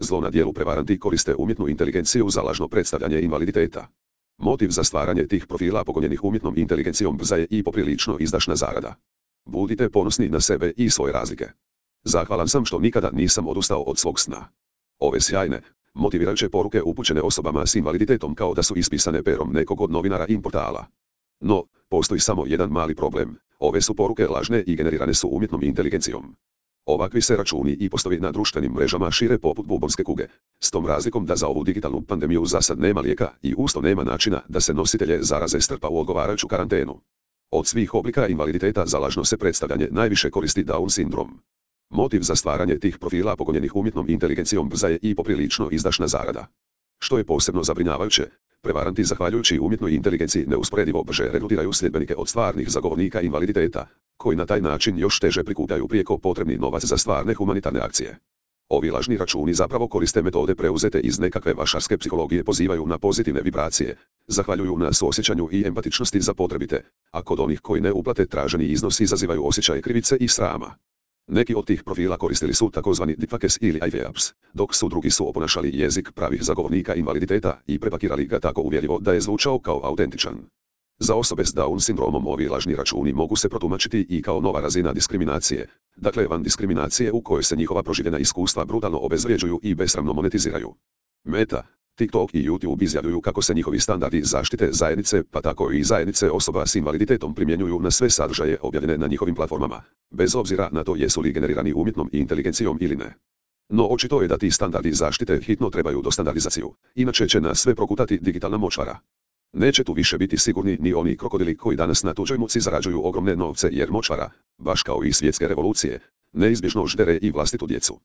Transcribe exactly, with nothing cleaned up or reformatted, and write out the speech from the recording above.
Zlo na dijelu prevaranti koriste umjetnu inteligenciju za lažno predstavljanje invaliditeta. Motiv za stvaranje tih profila pogonjenih umjetnom inteligencijom brza je i poprilično izdašna zarada. Budite ponosni na sebe i svoje razlike. Zahvalan sam što nikada nisam odustao od svog sna. Ove sjajne, motivirajuće poruke upućene osobama s invaliditetom kao da su ispisane perom nekog od novinara i portala. No, postoji samo jedan mali problem. Ove su poruke lažne i generirane su umjetnom inteligencijom. Ovakvi se računi i postovi na društvenim mrežama šire poput bubonske kuge, s tom razlikom da za ovu digitalnu pandemiju zasad nema lijeka i usto nema načina da se nositelje zaraze strpa u odgovarajuću karantenu. Od svih oblika invaliditeta za lažno se predstavljanje najviše koristi Down sindrom. Motiv za stvaranje tih profila pogonjenih umjetnom inteligencijom brza je i poprilično izdašna zarada. Što je posebno zabrinjavajuće, prevaranti zahvaljujući umjetnoj inteligenciji neusporedivo brže regrutiraju sljedbenike od stvarnih zagovornika invaliditeta, koji na taj način još teže prikupljaju prijeko potrebni novac za stvarne humanitarne akcije. Ovi lažni računi zapravo koriste metode preuzete iz nekakve vašarske psihologije, pozivaju na pozitivne vibracije, zahvaljuju na suosjećanju i empatičnosti za potrebite, a kod onih koji ne uplate traženi iznos izazivaju osjećaje krivice i srama. Neki od tih profila koristili su takozvani deepfakes ili iVapes, dok su drugi su oponašali jezik pravih zagovornika invaliditeta i prepakirali ga tako uvjerljivo da je zvučao kao autentičan. Za osobe s Down sindromom ovi lažni računi mogu se protumačiti i kao nova razina diskriminacije, dakle van diskriminacije u kojoj se njihova proživljena iskustva brutalno obezvrjeđuju i besramno monetiziraju. Meta, TikTok i YouTube izjavljuju kako se njihovi standardi zaštite zajednice, pa tako i zajednice osoba s invaliditetom primjenjuju na sve sadržaje objavljene na njihovim platformama, bez obzira na to jesu li generirani umjetnom inteligencijom ili ne. No očito je da ti standardi zaštite hitno trebaju do standardizaciju, inače će nas sve prokutati digitalna močvara. Neće tu više biti sigurni ni oni krokodili koji danas na tuđoj muci zarađuju ogromne novce jer močvara, baš kao i svjetske revolucije, neizbježno ždere i vlastitu djecu.